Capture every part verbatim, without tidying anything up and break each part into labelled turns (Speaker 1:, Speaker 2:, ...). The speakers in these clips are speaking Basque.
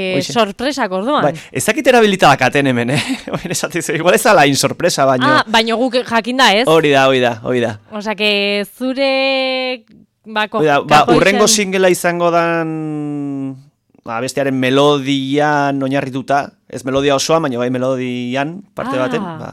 Speaker 1: E, sorpresak orduan.
Speaker 2: Bai, ezakit erabilita dakaten hemen, eh? Igual ez ala insorpresa, baino.
Speaker 1: Ah, baino guk jakinda ez.
Speaker 2: Hori da, hori da, hori da.
Speaker 1: Osa, que zure... Bako,
Speaker 2: da, ba, urrengo singela izango dan... Ba, bestearen melodian oinarrituta. Ez melodia osoa, baina bai melodian parte
Speaker 1: ah.
Speaker 2: baten. Ba,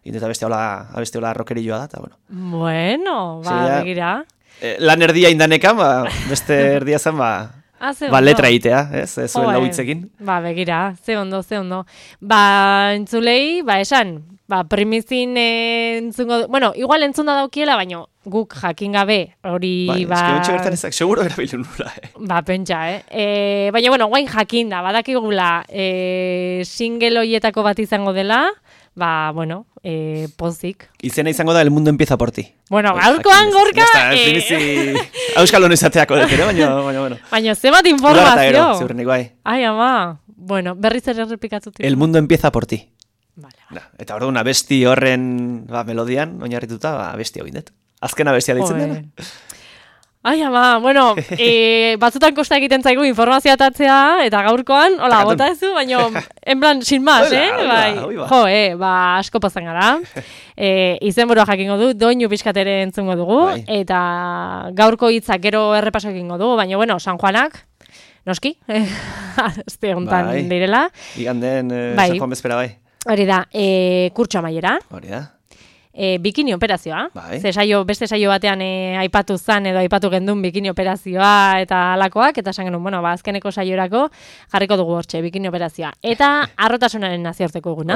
Speaker 2: intenta beste hola, beste hola rockerilloa da, eta bueno.
Speaker 1: Bueno, ba, sí, begira.
Speaker 2: Eh, lan erdia indanekan, ba, beste erdia zen, ba...
Speaker 1: Ah,
Speaker 2: ba, letra itea, ez? Ez zuen lauitzekin.
Speaker 1: Ba, begira, ze ondo, ze ondo. Ba, entzulei, ba, esan, ba, primizin entzungo... Bueno, igual entzunda daukiela, baina guk jakin gabe hori,
Speaker 2: bai,
Speaker 1: ba...
Speaker 2: Bai, eske bertan ezak, seguro erabildu nula, eh?
Speaker 1: Ba, pentsa, eh? E, baina, bueno, guain jakin da, badakigula e, single hoietako bat izango dela, ba, bueno, eh, pozik.
Speaker 2: Izena izango da El Mundo Empieza por Ti.
Speaker 1: Bueno, gaurkoan gorka...
Speaker 2: Eh... Euskal honezateako dut, ere, baina, baina, bueno.
Speaker 1: Baina, zemat informazio.
Speaker 2: Ziurrenik bai.
Speaker 1: Ai, ama, bueno, berriz ere errepikatut.
Speaker 2: El Mundo Empieza por Ti.
Speaker 1: Vale,
Speaker 2: vale. Da, eta orduan, abesti horren ba, melodian, oinarrituta, ba, abesti hau indet. Azken abestia ditzen dena.
Speaker 1: Ai, ama, bueno, e, batzutan kosta egiten zaigu informazioa atatzea, eta gaurkoan, hola, bota ezu, baina, en plan, sin más, eh? Bai, jo, eh, ba, asko pozan gara. E, izen burua jakingo du, doinu pixkatere entzungo dugu, bai. Eta gaurko hitzak gero errepaso egingo dugu, baina, bueno, San Juanak, noski, azte honetan bai. Direla.
Speaker 2: Iganden eh, bai. San Juan bezpera bai.
Speaker 1: Hori da, e, kurtso amaiera.
Speaker 2: Hori da.
Speaker 1: E, bikini operazioa,
Speaker 2: bai.
Speaker 1: Ze saio, beste saio batean e, aipatu zan edo aipatu gendun bikini operazioa eta alakoak, eta esan genuen, bueno, ba, azkeneko saiorako jarriko dugu hortxe, bikini operazioa. Eta arrotasunaren naziorteko eguna.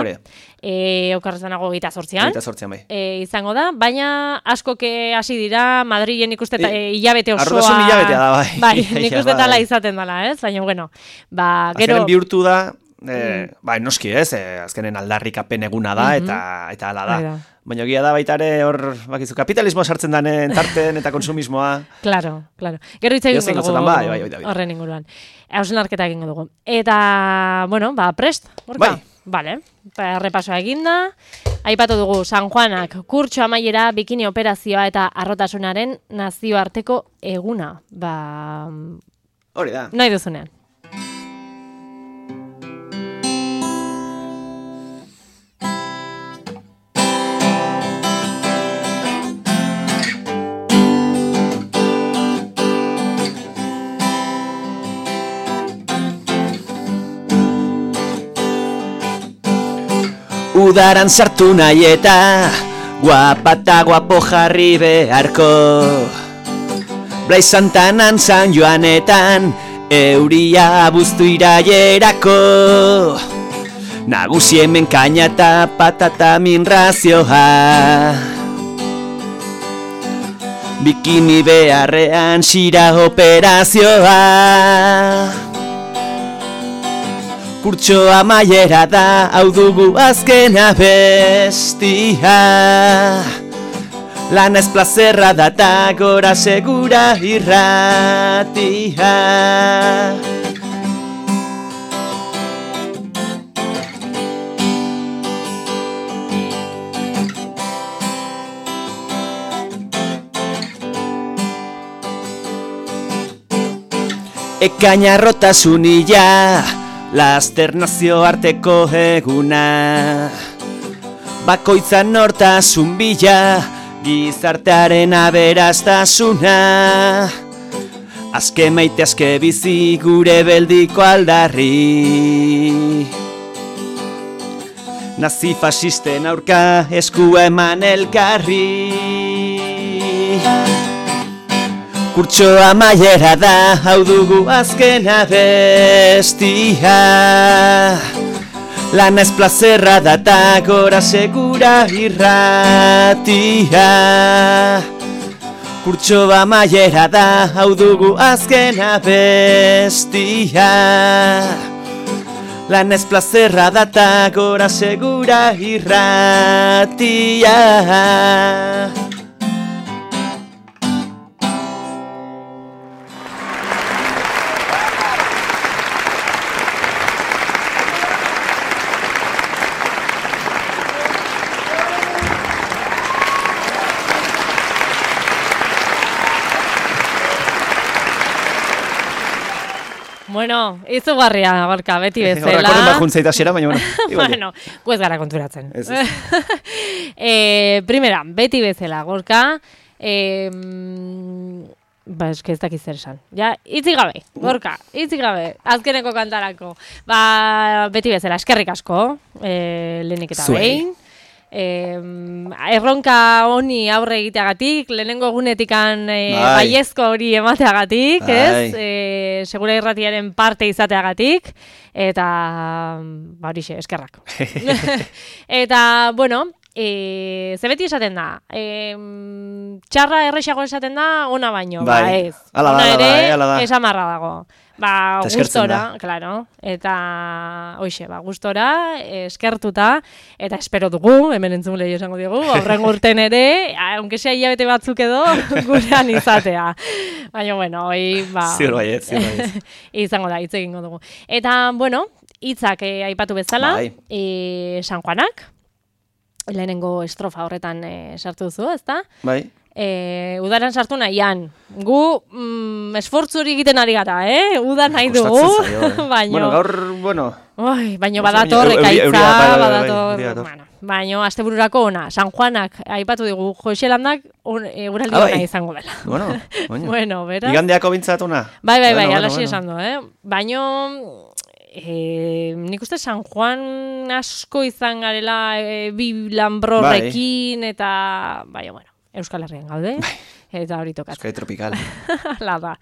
Speaker 1: E, okarrezanago gita sortzian.
Speaker 2: Gita sortzian, bai.
Speaker 1: E, izango da, baina askoke hasi dira, Madrilen ikuste eta e, hilabete osoa.
Speaker 2: Arrotasun hilabetea da, bai.
Speaker 1: Bai, nik uste tala izaten dela, ez? Baina, bueno, ba, gero...
Speaker 2: Azkenen bihurtu da, eh, mm. ba, noski ez, eh, azkenen aldarrikapen eguna da, mm-hmm. eta, eta ala da. Baina gira da baita ere hor, bakizu, kapitalismoa sartzen danen tarten eta konsumismoa.
Speaker 1: Claro, claro. Gero hitz egingo dugu
Speaker 2: bai, bai, bai,
Speaker 1: horren inguruan. Hausnarketa egingo dugu. Eta, bueno, ba, prest, gorka?
Speaker 2: Bai.
Speaker 1: Vale, ba, repasoa eginda. Aipatu dugu San Juanak kurtso amaiera, bikini operazioa eta arrotasunaren nazioarteko eguna. Ba...
Speaker 2: Hori da.
Speaker 1: Nahi duzunean.
Speaker 2: Udaran sartu nahi eta guapa eta guapo jarri beharko Blai Santanan San Joanetan euria buztu iraierako Nagusi hemen kaina eta patata minrazioa Bikini beharrean xira operazioa Kurtso amaiera da, hau dugu azken abestia Lana ez plazerra da ta gora segura irratia Ekaina rotasunila Laster nazioarteko eguna Bakoitzan nortasun bila Gizartearen aberastasuna Azke maite azke bizi gure beldiko aldarri Nazi fasisten aurka esku eman elkarri Kurtso amaiera da, hau dugu azken abestia Lana ez plazerra da ta gora segura irratia Kurtso amaiera da, hau dugu azken abestia Lana ez plazerra da ta gora segura irratia
Speaker 1: Bueno, izugarria, Gorka, beti bezala.
Speaker 2: Horrekoren bat juntzaita xera, baina, bueno.
Speaker 1: Bueno, guez gara konturatzen. eh, primera, beti bezala, Gorka, eh, ba, eske ez dakiz zer esan. Ja, itzik gabe, Gorka, itzik gabe, azkeneko kantarako. Ba, beti bezala, eskerrik asko, eh, lehenik eta behin. Eh, erronka honi aurre egiteagatik, lehenengo egunetikan eh, baiezko hori emateagatik, ez? Eh, segura irratiaren parte izateagatik, eta ba horixe, eskerrak. Eta, bueno, e, ze beti esaten da, e, txarra errexago esaten da, ona baino, bai, ba ez.
Speaker 2: Ala
Speaker 1: ona
Speaker 2: da,
Speaker 1: ere,
Speaker 2: bai, ala da.
Speaker 1: esamarra dago. Ba, gustora, claro, eta hoixe, ba, gustora, eskertuta, eta espero dugu, hemen entzun lehi esango digu, aurren urten ere, aunque sea hilabete batzuk edo, gurean izatea. Baina, bueno, hoi, ba...
Speaker 2: Ziur baiet, ziur baiet.
Speaker 1: Izango da, hitz egingo dugu. Eta, bueno, hitzak eh, aipatu bezala,
Speaker 2: bai.
Speaker 1: eh, San Juanak, lehenengo estrofa horretan eh, sartu duzu, ezta?
Speaker 2: Bai.
Speaker 1: E, udaran sartu nahian. Gu mm, esfortzu hori egiten ari gara, eh? Uda nahi dugu. Baino,
Speaker 2: bueno, gaur, bueno...
Speaker 1: Oi, baino badator, ekaitza, badator... Bueno, baino, astebururako ona. San Juanak, aipatu digu, Joselandak eguraldi e, ona izango dela.
Speaker 2: Bueno, baino.
Speaker 1: Bueno, beraz...
Speaker 2: Igandeako bintzat ona.
Speaker 1: Bai, bai, bai,
Speaker 2: bueno,
Speaker 1: alasi
Speaker 2: bueno,
Speaker 1: esan du, eh? Baino... E, nik uste San Juan asko izan garela e, bi lanbrorrekin, bai. Eta... Baina, bueno. Euskal Herrian gaude, eta hori tokatzen.
Speaker 2: Euskal Tropikal.
Speaker 1: La da.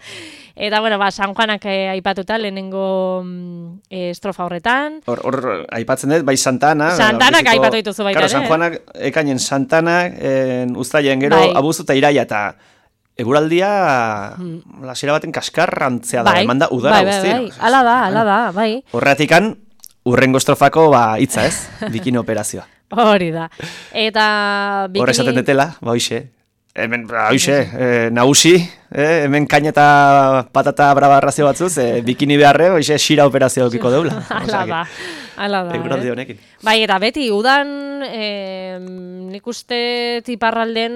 Speaker 1: Eta, bueno, ba, San Juanak eh, aipatuta, lehenengo eh, estrofa horretan.
Speaker 2: Hor, hor, aipatzen dut, bai Santana.
Speaker 1: Santanak aipatu dituzu baita,
Speaker 2: ere. San Juanak ekainen Santanak, en, uztailen gero, bai. Abuztu eta iraia, eta eguraldia, hmm. lasera baten kaskarrantzea da, bai. Emanda udara bai, guztien.
Speaker 1: Bai, bai, ala da, ala da, bai.
Speaker 2: Horretikan, urrengo estrofako, ba, hitza ez, bikini operazioa.
Speaker 1: Hori da. Eta bikini...
Speaker 2: Hor esaten detela, ba hoixe. Hemen, ba hoixe, eh, nagusi, eh, hemen kaina eta patata brava razio batzuz, eh, bikini beharre, hoixe, xira operazio okiko deula.
Speaker 1: Ala da, ala da.
Speaker 2: Eguraldi honekin.
Speaker 1: Bai, eta beti, udan, eh, nik uste tiparralden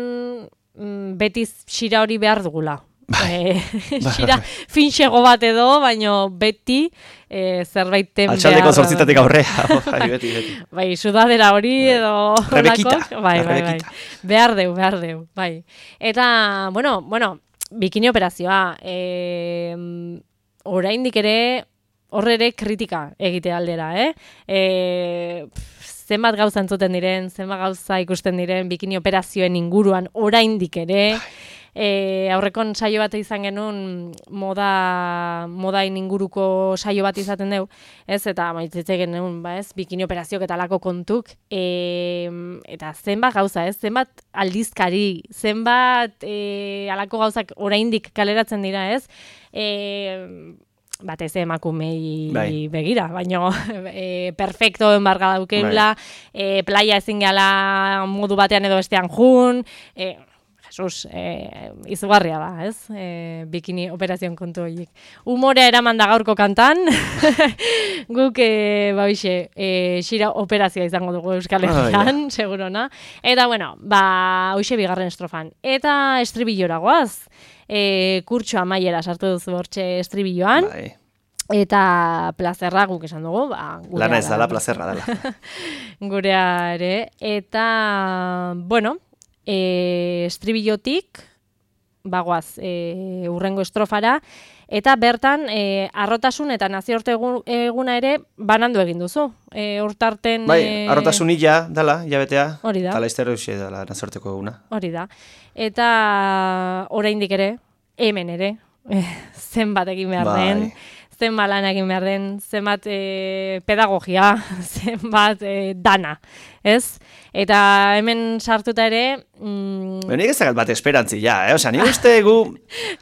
Speaker 1: beti xira hori behar dugula.
Speaker 2: Bai.
Speaker 1: Xira finxego bat edo, baino beti e, zerbaiten behar.
Speaker 2: Altxaldeko zortzitatik aurrea. Bai, beti, beti.
Speaker 1: Bai, sudadera hori edo...
Speaker 2: Rebekita.
Speaker 1: Bai, bai, bai. Behar deu, behar deu, bai. Eta, bueno, bueno, bikini operazioa. E, oraindik ere, horre ere kritika egite aldera, eh? E, zenbat gauza entzuten diren, zenbat gauza ikusten diren, bikini operazioen inguruan oraindik ere... E, aurrekon saio bat izan genuen moda modain inguruko saio bat izaten deu, ez, eta maitzitze genuen, ba, ez, bikini operaziok eta alako kontuk, e, eta zenbat gauza, ez, zenbat aldizkari, zenbat e, alako gauzak oraindik kaleratzen dira, ez, e, batez emakumei bai. Begira, baina e, perfecto enbarga daukeula, bai. e, playa ezin gala modu batean edo bestean jun, e, Jesus, eh, izugarria da, ez? Eh, bikini operazion kontu horiek. Humorea eraman da gaurko kantan, guk, eh, ba, bixe, eh, xira operazioa izango dugu Euskal Herrian, oh, segurona. Eta, bueno, ba, hoxe bigarren estrofan. Eta estribillora goaz, eh, kurtso amaiera sartu duzu hortxe estribilloan. Bai. Eta plazerra guk esan dugu, ba, gurea
Speaker 2: lana ez dala, plazerra dela.
Speaker 1: Gurea ere, eta, bueno, E, estribillotik bagoaz e, urrengo estrofara eta bertan e, arrotasun eta nazioarte eguna ere banandu egin duzu. E, hortarten
Speaker 2: bai, arrotasun illa dala, jabetea.
Speaker 1: Hori da.
Speaker 2: Tala izterro usie dala nazioarteko eguna.
Speaker 1: Hori da. Eta oraindik ere, hemen ere, e, zenbat egin behar bai. Den. Zenbat lan egin behar den, zenbat e, pedagogia, zenbat e, dana, ez? Eta hemen sartuta ere... Mm...
Speaker 2: Nik ez dakat bat esperantzi, ja, eh? Osa, ni uste gu...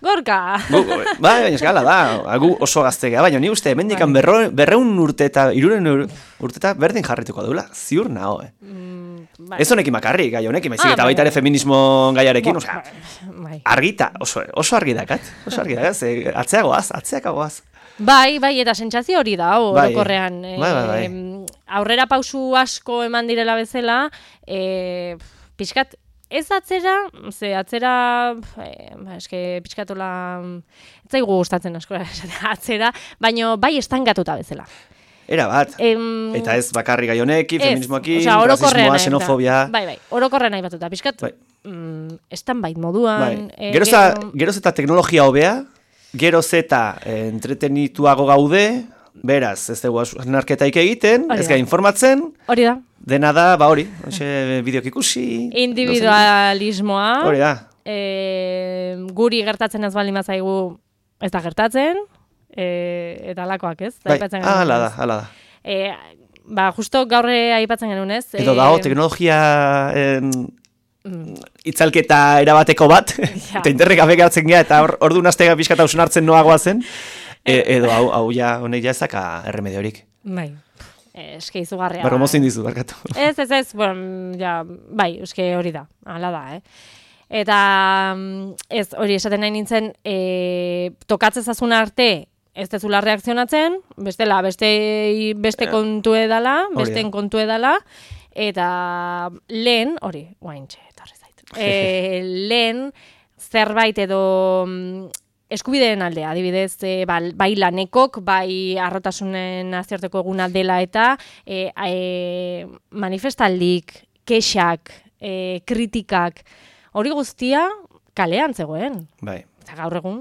Speaker 1: Gorka!
Speaker 2: Gu, bai, baina eskala da, gu oso gaztegea, baina ni uste hemen dikan berreun urte eta iruren urte eta berdin jarrituko dula, ziur naho, eh? Mm, bai. Ez honekin makarrik, gai honekin, maizik, ah, eta baita ere feminismo gaiarekin, osa, bai. Argita, oso, oso argi dakat, oso argi dakat, atzeagoaz, atzeakagoaz.
Speaker 1: Bai, bai, eta sentsazio hori da, orokorrean.
Speaker 2: Bai, bai, bai.
Speaker 1: E, aurrera pausu asko eman direla bezala, e, pixkat ez atzera, ze atzera, eh, ba, eske pixkatola, ez zaigu gustatzen asko atzera, baina bai estangatuta bezala.
Speaker 2: Era bat, em, eta ez bakarri gai honekin, feminismoakin, rasismoa, xenofobia.
Speaker 1: Bai, bai, orokorren nahi batuta, pixkat, bai. mm, estan bait moduan.
Speaker 2: Bai. Eh, geroz, gero... geroz eta teknologia hobea, geroz eta eh, entretenituago gaude, beraz, ez dugu narketaik egiten, ez gai informatzen.
Speaker 1: Hori da.
Speaker 2: Dena da, ba hori, bideok ikusi.
Speaker 1: Individualismoa.
Speaker 2: Hori da.
Speaker 1: E, guri gertatzen ez baldin bazaigu ez da gertatzen. E, eta alakoak, ez?
Speaker 2: Bai, ala da, ala da.
Speaker 1: E, ba, justo gaurre aipatzen genuen, ez?
Speaker 2: Edo dago, teknologia en, mm. itzalketa erabateko bat, ja. Eta interrek abegatzen gea, eta ordu naztega pixkata usun hartzen noagoa zen, e, edo hau, hau ja, honek ja ezaka erremediorik.
Speaker 1: Bai, eske izugarria.
Speaker 2: Barro mozin dizu, barkatu.
Speaker 1: Ez, ez, ez, bueno, ja, bai, eske hori da, ala da, eh? Eta ez, hori esaten nahi nintzen, e, tokatzezazun arte, ez dezula reakzionatzen, bestela, beste, beste kontu edala, besteen kontu edala, eta lehen, hori, guaintxe, etorri zaitu, e, lehen zerbait edo eskubideen aldea, adibidez, e, ba, bai lanekok, bai arrotasunen nazioarteko eguna dela eta e, e, manifestaldik, kexak, e, kritikak, hori guztia kalean zegoen.
Speaker 2: Bai.
Speaker 1: Eta gaur egun,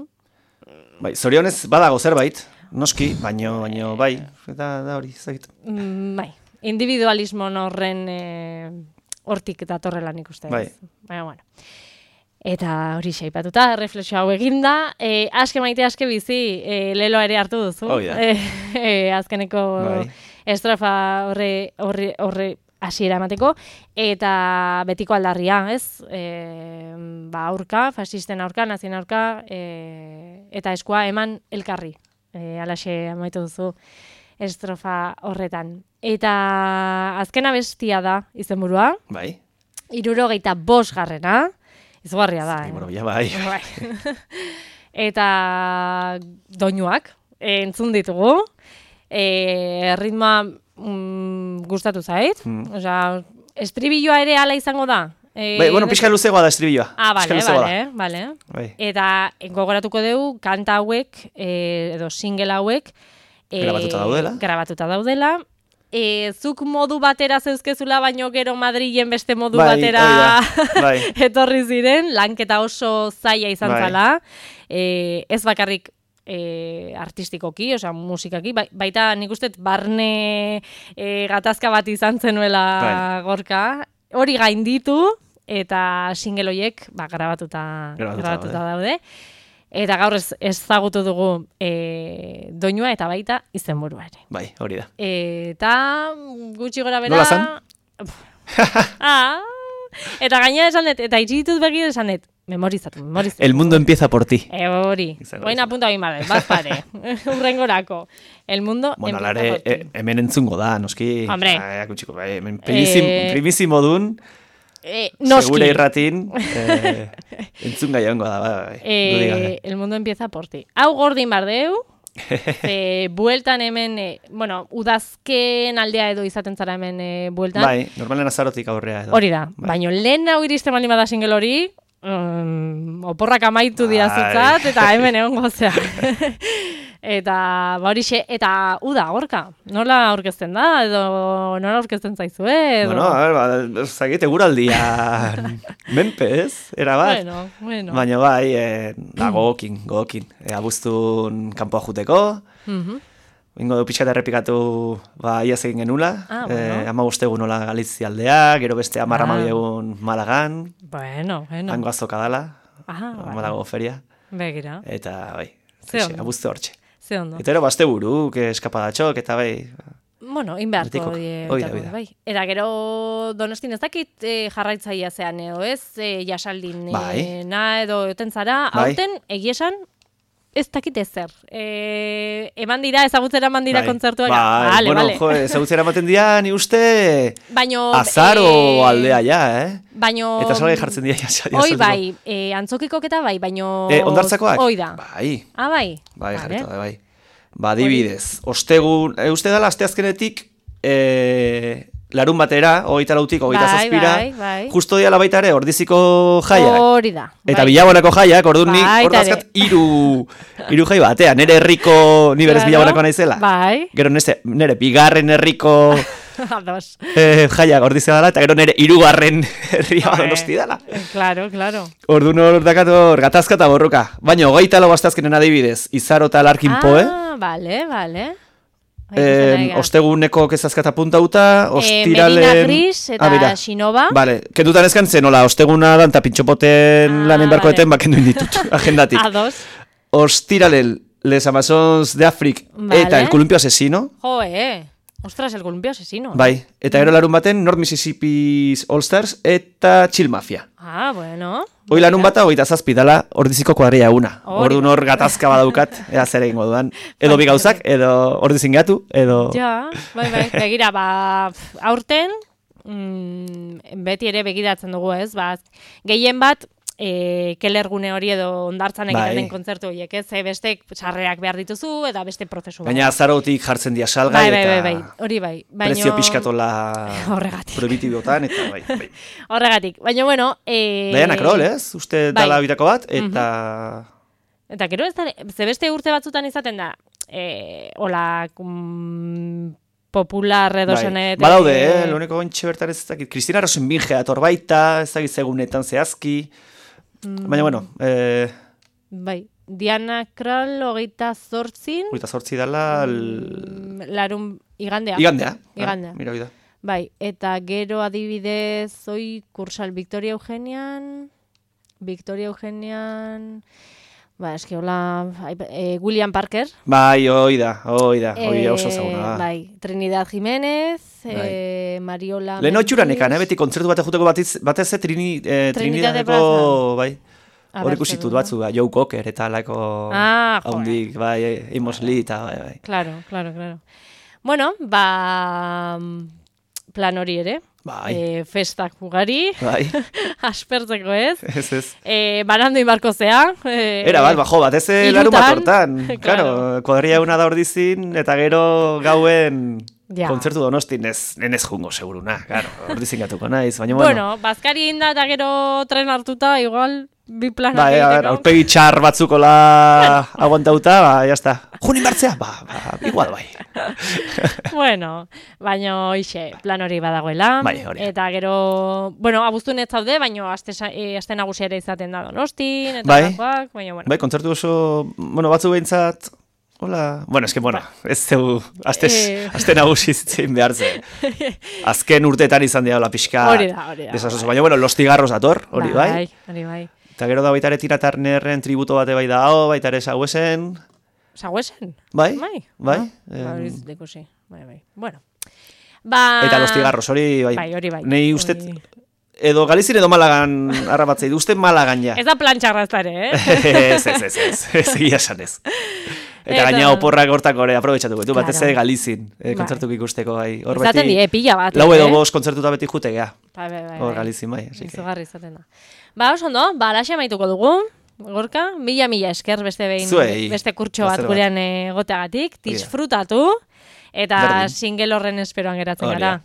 Speaker 2: bai, zorionez badago zerbait, noski, baino, baino, bai, eta da hori, zait.
Speaker 1: Mm, bai, individualismo horren hortik eta torrelan ikusten.
Speaker 2: Bai.
Speaker 1: Baina, bueno. Eta hori xaipatuta, reflexio hau eginda, e, aske maite aske bizi, e, lelo ere hartu duzu.
Speaker 2: Oh, yeah.
Speaker 1: e, e, azkeneko bai. Estrofa horre, horre, horre hasiera emateko, eta betiko aldarria, ez? E, ba, aurka, fasisten aurka, nazien aurka, e, eta eskua eman elkarri. E, alaxe amaitu duzu estrofa horretan. Eta azkena bestia da izenburua.
Speaker 2: Bai.
Speaker 1: Hirurogeita bost garrena. Izugarria da.
Speaker 2: Bai, bueno, ja bai.
Speaker 1: bai. Eta doinuak entzun ditugu. E, ritmoa mm, gustatu zait. Mm. Osea, estribilloa ere hala izango da. E,
Speaker 2: bai, bueno, pixka luzegoa da estribilloa.
Speaker 1: Ah, bale, bale, bale.
Speaker 2: Bai.
Speaker 1: Eta gogoratuko dugu kanta hauek, e, edo single hauek, e,
Speaker 2: grabatuta daudela.
Speaker 1: Grabatuta daudela. E, zuk modu batera zeuzkezula, baino gero Madrilen beste modu
Speaker 2: bai,
Speaker 1: batera
Speaker 2: bai.
Speaker 1: etorri ziren, lanketa oso zaila izan
Speaker 2: bai.
Speaker 1: zala. E, ez bakarrik e, artistikoki, osea musikaki, ba, baita nik uste barne e, gatazka bat izan zenuela bai. Gorka. Hori gainditu eta single horiek ba, grabatuta, grabatuta, grabatuta daude. Eta gaur ez ezagutu dugu e, doinua eta baita izenburua ere.
Speaker 2: Bai, hori da.
Speaker 1: Eta gutxi gora bera...
Speaker 2: Nola zan?
Speaker 1: ah, eta gaina esan dut, eta itxituz begi esan dut, memorizatu, memorizatu.
Speaker 2: El mundo empieza por ti.
Speaker 1: E, hori, boina apunta bain badez, bat pare, urrengorako. El mundo
Speaker 2: bueno,
Speaker 1: empieza
Speaker 2: lare,
Speaker 1: por ti.
Speaker 2: E, hemen entzungo da, noski.
Speaker 1: Hombre.
Speaker 2: Ah, kutxiko, bai, hemen primísimo, eh, primísimo dun.
Speaker 1: Eh, noski.
Speaker 2: Segura irratin, eh, entzun gai hongo da, bai,
Speaker 1: eh, el mundo empieza por ti. Hau gordin bardeu, eh, bueltan hemen, eh, bueno, udazken aldea edo izaten zara hemen eh, bueltan.
Speaker 2: Bai, normalen azarotik aurrea edo.
Speaker 1: Hori da, bai. Baina lehen hau iristen baldin bada single hori, um, oporrak amaitu
Speaker 2: bai.
Speaker 1: diazutzat, eta hemen egon gozea. Eta, ba horixe, eta uda, Gorka, nola aurkezten da, edo nola aurkezten zaizue, edo...
Speaker 2: Bueno, a ver, ba, zagite guraldia menpe, ez? Era bat.
Speaker 1: Bueno, bueno.
Speaker 2: Baina bai, eh, da, gogokin, gogokin. E, abuztun kanpoa juteko,
Speaker 1: Uh-huh.
Speaker 2: ingo du pixka errepikatu, ba, iaz egin genula,
Speaker 1: ah, bueno.
Speaker 2: eh, ama guztegu nola Galizia aldea, gero beste amarra ah. egun Malagan,
Speaker 1: bueno, bueno.
Speaker 2: hango azoka dala,
Speaker 1: ah,
Speaker 2: ama dago feria,
Speaker 1: begira.
Speaker 2: eta bai, abuzte hortxe.
Speaker 1: Eta
Speaker 2: ero bazte buruk, eskapadatxok, eta bai...
Speaker 1: Bueno, inbeharko die. Bai. Eta gero Donostin ez dakit e, jarraitzaia zean edo ez, e, jasaldin
Speaker 2: bai.
Speaker 1: e, na edo euten zara,
Speaker 2: bai.
Speaker 1: aurten egiesan ez dakit ezer. E, eman dira, ezagutzera eman dira bai. Kontzertuak.
Speaker 2: Bai, vale, bueno, vale. Jo, ezagutzera ematen dira, ni uste
Speaker 1: baino,
Speaker 2: azaro e, aldea ja, eh?
Speaker 1: Baino...
Speaker 2: Eta salgai jartzen dira jasaldin.
Speaker 1: Oi bai, e, antzokikok eta bai, baino...
Speaker 2: E, ondartzakoak?
Speaker 1: Oi da.
Speaker 2: Bai.
Speaker 1: Ah, bai?
Speaker 2: Bai, vale. Jarretu da, bai. Ba, dibidez, ostegun, e, uste dala, asteazkenetik, e, larun batera, hogeita lautik, hogeita
Speaker 1: bai,
Speaker 2: zazpira,
Speaker 1: bai, bai.
Speaker 2: justo diala baita ere, ordiziko jaiak.
Speaker 1: Hori da.
Speaker 2: Eta
Speaker 1: bai.
Speaker 2: Bilabonako jaiak, orduan ni,
Speaker 1: Bai,
Speaker 2: hor dazkat, iru, iru jai batean, nere herriko, ni berez
Speaker 1: Claro,
Speaker 2: Bilabonako naizela.
Speaker 1: Bai.
Speaker 2: Gero neste, nere, bigarren herriko
Speaker 1: Ados.
Speaker 2: eh, jaiak ordizia dela, eta gero nere irugarren herria Donosti dela.
Speaker 1: Claro, claro.
Speaker 2: Orduan hor dakator, gatazka eta borroka. Baina, hogeita lau astazkenen adibidez, Izaro eta Larkin
Speaker 1: Ah,
Speaker 2: Poe.
Speaker 1: vale, vale.
Speaker 2: Eh, osteguneko kezazkata puntauta, ostiralen...
Speaker 1: Eh, Medina Gris eta
Speaker 2: ah,
Speaker 1: Xinova.
Speaker 2: Vale, kendutan ezkan zen, hola, osteguna dan eta pintxopoten
Speaker 1: Ah,
Speaker 2: lanen barkoeten,
Speaker 1: vale.
Speaker 2: bakendu inditut, agendatik.
Speaker 1: Ados.
Speaker 2: Ostiralen, Les Amazons de Afrik,
Speaker 1: Vale.
Speaker 2: eta El Columpio Asesino.
Speaker 1: Jo, eh. Ostras, El Columpio Asesino.
Speaker 2: Bai, eta gero larun baten North Mississippi's All Stars eta Chill Mafia.
Speaker 1: Ah, bueno.
Speaker 2: Hoi larun bata, hogeita zazpi dala, ordiziko kuadria una.
Speaker 1: Hori.
Speaker 2: Orduan hor gatazka badaukat, ea zer egingo dudan. Edo bi gauzak, edo ordizin gatu, edo...
Speaker 1: Ja, bai, bai. Begira, ba, pf, aurten, mm, beti ere begiratzen dugu, ez? Ba, gehien bat, e, kelergune hori edo ondartzan egiten
Speaker 2: Bai.
Speaker 1: den kontzertu horiek, ez? E, beste sarrerak behar dituzu, eta beste prozesu bat.
Speaker 2: Baina azarotik jartzen dia salgai,
Speaker 1: Bai, bai,
Speaker 2: eta
Speaker 1: bai, bai, hori bai. Baino...
Speaker 2: prezio pixkatola
Speaker 1: Horregatik.
Speaker 2: prohibitibotan, eta bai, bai.
Speaker 1: Horregatik. Baina, bueno... E...
Speaker 2: Diana Kroll, ez? Uste
Speaker 1: Bai.
Speaker 2: dala bitako bat, eta...
Speaker 1: Eta gero ez da, ze beste urte batzutan izaten da, e, hola, mm, popular edo
Speaker 2: Bai.
Speaker 1: zenet...
Speaker 2: Badaude, eh? Loneko ontxe bertan ez dakit. Kristina Rosenbinge ator baita, ez dakit segunetan zehazki. Baina, bueno, eh,
Speaker 1: Bai, Diana Krall hogeita zortzin,
Speaker 2: hogeita zortzi dala... L...
Speaker 1: mm, larun igandea.
Speaker 2: Igandea.
Speaker 1: Igandea.
Speaker 2: Ah, mira, oida.
Speaker 1: Bai, eta gero adibidez, oi kursal Victoria Eugenian, Victoria Eugenian... Ba, eski hola, e, William Parker.
Speaker 2: Bai, hoi da, hoi da, hoi
Speaker 1: eh,
Speaker 2: oso zauna da.
Speaker 1: Bai, Trinidad Jiménez,
Speaker 2: Bai.
Speaker 1: eh, Mariola...
Speaker 2: Lehen otxuranekan, eh,
Speaker 1: Mendiz.
Speaker 2: beti kontzertu bat juteko batez, batez eh, trini, eh,
Speaker 1: Trinidade
Speaker 2: Trinidadeko, bai,
Speaker 1: A
Speaker 2: hor
Speaker 1: ber,
Speaker 2: ikusitut
Speaker 1: zer
Speaker 2: batzu, ba, Joe Cocker eta alako
Speaker 1: Ah, jo,
Speaker 2: haundik, bai, Amos Lee eta, bai, bai.
Speaker 1: Claro, claro, claro. Bueno, ba, plan hori ere.
Speaker 2: Bai.
Speaker 1: E, festak ugari,
Speaker 2: Bai,
Speaker 1: aspertzeko ez.
Speaker 2: ez ez.
Speaker 1: E, banandu inbarko zea. E,
Speaker 2: Era bat, bajo, bat ez larun bat hortan.
Speaker 1: Claro.
Speaker 2: Claro, kuadria una da ordizin, eta gero gauen
Speaker 1: Ja.
Speaker 2: kontzertu donostin ez, nenez jungo, seguruna. Claro, ordizin gatuko naiz, baina
Speaker 1: Bueno,
Speaker 2: bueno.
Speaker 1: bazkari inda eta gero tren hartuta, igual, bi planak
Speaker 2: Bai, a ver,
Speaker 1: egiteko.
Speaker 2: aurpegi txar batzukola aguantauta, ba, jazta. Junin bartzea? Ba, ba, igual bai.
Speaker 1: Bueno, baino ixe, plan hori badagoela.
Speaker 2: Bai, hori.
Speaker 1: Eta gero, bueno, abuztun ez zaude, baino aste, sa- e, aste nagusia ere izaten da Donostin, eta
Speaker 2: Bai.
Speaker 1: gakoak, baina, bueno.
Speaker 2: Bai, kontzertu oso, bueno, batzu behintzat, hola, bueno, eske, bueno, ez zeu, azte,
Speaker 1: Eh.
Speaker 2: azte nagusi zein behar ze. Azken urteetan izan dira hola pixka.
Speaker 1: Hori da, hori da,
Speaker 2: desasoso.
Speaker 1: bai.
Speaker 2: Baina, bueno, Los Tigarros dator, hori bai.
Speaker 1: Bai, hori bai.
Speaker 2: Eta gero da baita ere Tina Turnerren tributo bate bai da, oh, baita ere Sauesen,
Speaker 1: Saguesen?
Speaker 2: bai,
Speaker 1: Bai.
Speaker 2: bai.
Speaker 1: Ah,
Speaker 2: em,
Speaker 1: ba, hori ez dut ikusi. Bai, bai. Bueno. Ba...
Speaker 2: Eta Los Tigarros, hori bai.
Speaker 1: Bai, hori bai.
Speaker 2: Nei uste,
Speaker 1: Hori-
Speaker 2: edo Galizien edo Malagan arrabatzei, uste Malagan ja.
Speaker 1: Ez da plan txarraztare, eh?
Speaker 2: ez, ez, ez, ez, ez, egia esan ez. Eta
Speaker 1: Eta-
Speaker 2: gaina oporrak hortak ore aprobetxatuko ditu, batez
Speaker 1: Claro.
Speaker 2: ere Galizin, eh,
Speaker 1: Bai.
Speaker 2: kontzertuk ikusteko bai. Hor
Speaker 1: Izaten die, pila bat.
Speaker 2: lau edo
Speaker 1: eh?
Speaker 2: bost kontzertuta beti jute gea.
Speaker 1: Bai, bai, bai.
Speaker 2: Hor
Speaker 1: bai.
Speaker 2: Galizin bai, así que.
Speaker 1: Izugarri izaten da. Ba, oso ondo, ba, alaxe amaituko dugu. Gorka, mila mila esker beste behin,
Speaker 2: Zuei,
Speaker 1: beste kurtso bat
Speaker 2: placer bat.
Speaker 1: gurean egoteagatik,
Speaker 2: Hori da.
Speaker 1: disfrutatu, eta
Speaker 2: Berdin.
Speaker 1: single horren esperoan geratzen
Speaker 2: Hori
Speaker 1: gara.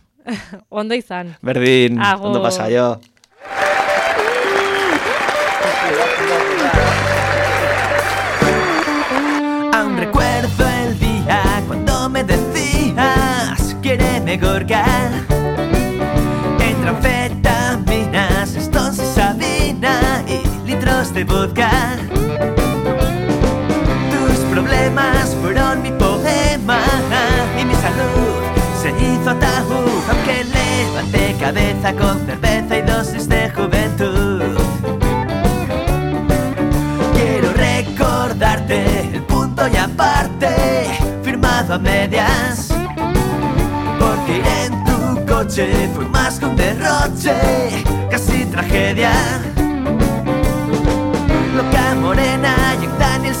Speaker 1: Ondo izan.
Speaker 2: Berdin,
Speaker 1: Agur.
Speaker 2: ondo pasa, jo.
Speaker 3: Aún recuerdo el día cuando me decías quiéreme Gorka. Entre anfetaminas, Stones y Sabina y litros de vodka. Tus problemas fueron mi poema y mi salud se hizo ataúd, aunque levanté cabeza con cerveza y dosis de juventud. Quiero recordarte el punto y aparte, firmado a medias, porque ir en tu coche fue más que un derroche, casi tragedia. Loca morena, Jack Daniels